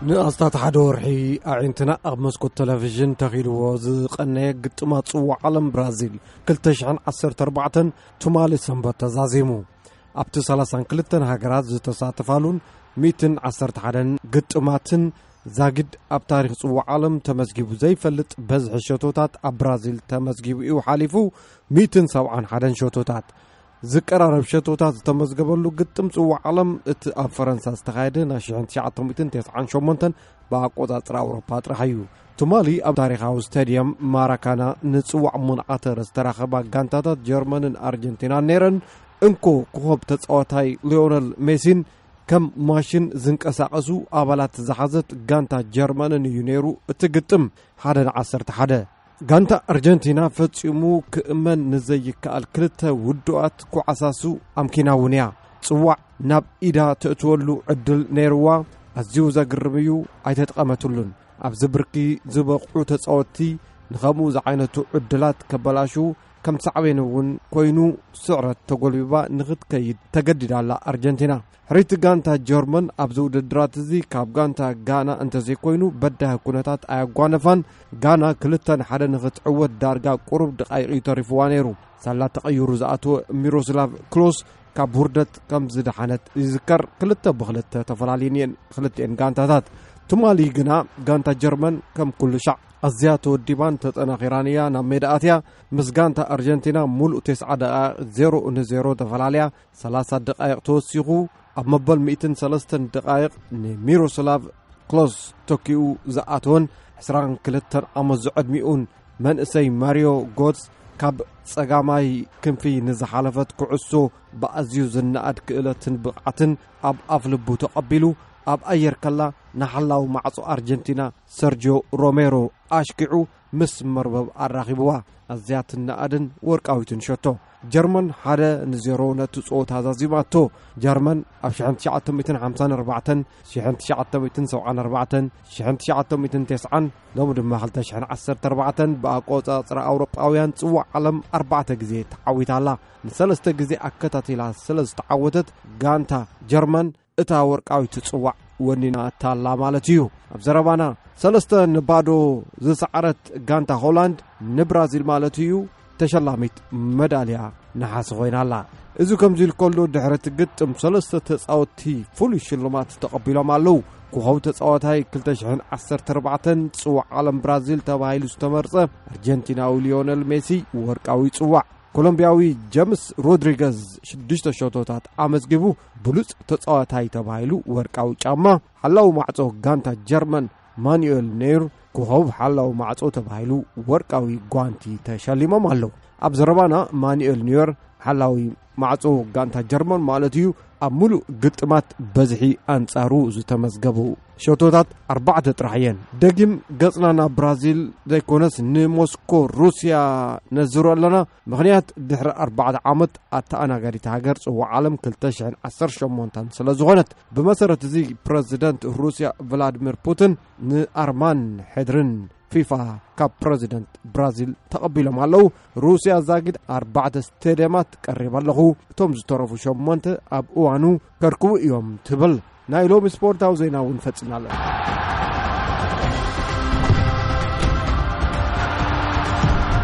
ንኣስታት ሓደ ወርሒ ኣዒንትና ኣብ መስኮት ቴሌቪዥን ተኺልዎ ዝቐነየ ግጥማት ጽዋዕ ዓለም ብራዚል ክልተ ሽሕን ዓሰርተ ኣርባዕተን ትማሊ ሰንበት ተዛዚሙ። ኣብቲ ሰላሳን ክልተን ሃገራት ዝተሳተፋሉን ሚእትን ዓሰርተ ሓደን ግጥማትን ዛጊድ ኣብ ታሪኽ ጽዋዕ ዓለም ተመዝጊቡ ዘይፈልጥ በዝሒ ሸቶታት ኣብ ብራዚል ተመዝጊቡ እዩ ሓሊፉ። ሚእትን ሰብዓን ሓደን ሸቶታት ዝቀራረብ ሸቶታት ዝተመዝገበሉ ግጥም ጽዋዕ ዓለም እቲ ኣብ ፈረንሳ ዝተኻየደ ናይ ሽሕን ትሽዓተ ሚእትን ተስዓን ሸሞንተን ብኣቆጻጽራ ኣውሮፓ ጥራሕ እዩ። ትማሊ ኣብ ታሪኻዊ ስታድየም ማራካና ንጽዋዕ ሙንዓተር ዝተራኸባ ጋንታታት ጀርመንን ኣርጀንቲናን ነይረን። እንኮ ኮኸብ ተጻዋታይ ሊዮነል ሜሲን ከም ማሽን ዝንቀሳቐሱ ኣባላት ዝሓዘት ጋንታ ጀርመንን እዩ ነይሩ እቲ ግጥም። ሓደ ንዓሰርተ ሓደ። ጋንታ ኣርጀንቲና ፈጺሙ ክእመን ንዘይከኣል ክልተ ውዱኣት ኩዓሳሱ ኣምኪና እውን እያ። ጽዋዕ ናብ ኢዳ ተእትወሉ ዕድል ነይርዋ። ኣዝዩ ዘግርም እዩ፣ ኣይተጠቐመትሉን። ኣብዚ ብርኪ ዝበቕዑ ተጻወትቲ ንኸምኡ ዝዓይነቱ ዕድላት ከበላሹ ከም ሳዕቤን እውን ኮይኑ ስዕረት ተጎልቢባ ንኽትከይድ ተገዲዳ ኣላ ኣርጀንቲና። ሕሪቲ ጋንታ ጀርመን ኣብዚ ውድድራት እዚ ካብ ጋንታ ጋና እንተዘይኮይኑ በዳሂ ኩነታት ኣየጓነፋን። ጋና ክልተ ንሓደ ንኽትዕወት ዳርጋ ቁሩብ ደቃይቕ እዩ ተሪፍዋ ነይሩ። ሳላ ተቐይሩ ዝኣተወ ሚሮስላቭ ክሎስ ካብ ውርደት ከም ዝደሓነት ይዝከር። ክልተ ብክልተ ተፈላለየን እየን ክልተኤን ጋንታታት። ትማሊ ግና ጋንታ ጀርመን ከም ኩሉ ሻዕ ኣዝያ ተወዲባን ተጠናኺራን እያ ናብ ሜዳ ኣትያ። ምስ ጋንታ ኣርጀንቲና ሙሉእ ተስዓ ደቃይቕ ዜሮ ንዜሮ ተፈላለያ። ሰላሳ ደቃይቕ ተወሲኹ ኣብ መበል ሚእትን ሰለስተን ደቃይቕ ንሚሮስላቭ ክሎስ ተኪኡ ዝኣተወን ዕስራን ክልተን ዓመት ዝዕድሚኡን መንእሰይ ማሪዮ ጎትስ ካብ ጸጋማይ ክንፊ ንዝሓለፈት ኩዕሶ ብኣዝዩ ዝነኣድ ክእለትን ብቕዓትን ኣብ ኣፍ ልቡ ተቐቢሉ ኣብ ኣየር ከላ ንሓላዊ ማዕጾ ኣርጀንቲና ሰርጆ ሮሜሮ ኣሽኪዑ ምስ መርበብ ኣራኺብዋ። ኣዝያ ትነኣድን ወርቃዊትን ሸቶ። ጀርመን ሓደ ንዜሮ ነቲ ጸወታ ዛዚማቶ። ጀርመን ኣብ ሽሕን ትሽዓተ ሚእትን ሓምሳን ኣርባዕተን፣ ሽሕን ትሽዓተ ሚእትን ሰብዓን ኣርባዕተን፣ ሽሕን ትሽዓተ ሚእትን ተስዓን፣ ሎሚ ድማ ክልተ ሽሕን ዓሰርተ ኣርባዕተን ብኣቆጻጽራ ኣውሮጳውያን ጽዋዕ ዓለም ኣርባዕተ ግዜ ተዓዊታ ኣላ። ንሰለስተ ግዜ ኣከታቲላ ስለ ዝተዓወተት ጋንታ ጀርመን እታ ወርቃዊት ጽዋዕ ወኒናታ ኣላ ማለት እዩ። ኣብ ዘረባና ሰለስተ ንባዶ ዝሰዓረት ጋንታ ሆላንድ ንብራዚል ማለት እዩ ተሸላሚት መዳልያ ነሓስ ኮይና ኣላ። እዚ ከምዚ ኢሉ ከሎ ድሕሪ እቲ ግጥም ሰለስተ ተጻወትቲ ፍሉይ ሽልማት ተቐቢሎም ኣለዉ። ኮኸብ ተጻዋታይ ክልተ ሽሕን ዓሰርተ ኣርባዕተን ጽዋዕ ዓለም ብራዚል ተባሂሉ ዝተመርጸ ኣርጀንቲናዊ ሊዮነል ሜሲ ወርቃዊ ጽዋዕ፣ ኮሎምቢያዊ ጀምስ ሮድሪገዝ ሽዱሽተ ሸቶታት ኣመዝጊቡ ብሉጽ ተጻዋታይ ተባሂሉ ወርቃዊ ጫማ፣ ሓላዊ ማዕጾ ጋንታ ጀርመን ማኑኤል ኔይር ኮኸብ ሓላዊ ማዕጾ ተባሂሉ ወርቃዊ ጓንቲ ተሸሊሞም ኣለዉ። ኣብ ዘረባና ማኑኤል ኒየር ሓላዊ ማዕጾ ጋንታ ጀርመን ማለት እዩ ኣብ ሙሉእ ግጥማት በዝሒ ኣንጻሩ ዝተመዝገቡ ሸቶታት ኣርባዕተ ጥራሕ እየን። ደጊም ገጽና ናብ ብራዚል ዘይኮነስ ንሞስኮ ሩስያ ነዝሮ ኣለና። ምኽንያት ድሕሪ ኣርባዕተ ዓመት ኣተኣናጋዲት ሃገር ጽዋዕ ዓለም ክልተ ሽሕን ዓሰርተ ሸሞንተን ስለ ዝኾነት። ብመሰረት እዚ ፕረዚደንት ሩስያ ቭላድሚር ፑቲን ንኣርማን ሕድርን ፊፋ ካብ ፕረዚደንት ብራዚል ተቐቢሎም ኣለዉ። ሩስያ ዛጊድ ኣርባዕተ ስቴድየማት ቀሪብ ኣለኹ፣ እቶም ዝተረፉ ሸሞንተ ኣብ እዋኑ ከርክቡ እዮም ትብል። ናይ ሎሚ ስፖርታዊ ዜና እውን ፈጺምና ኣለና።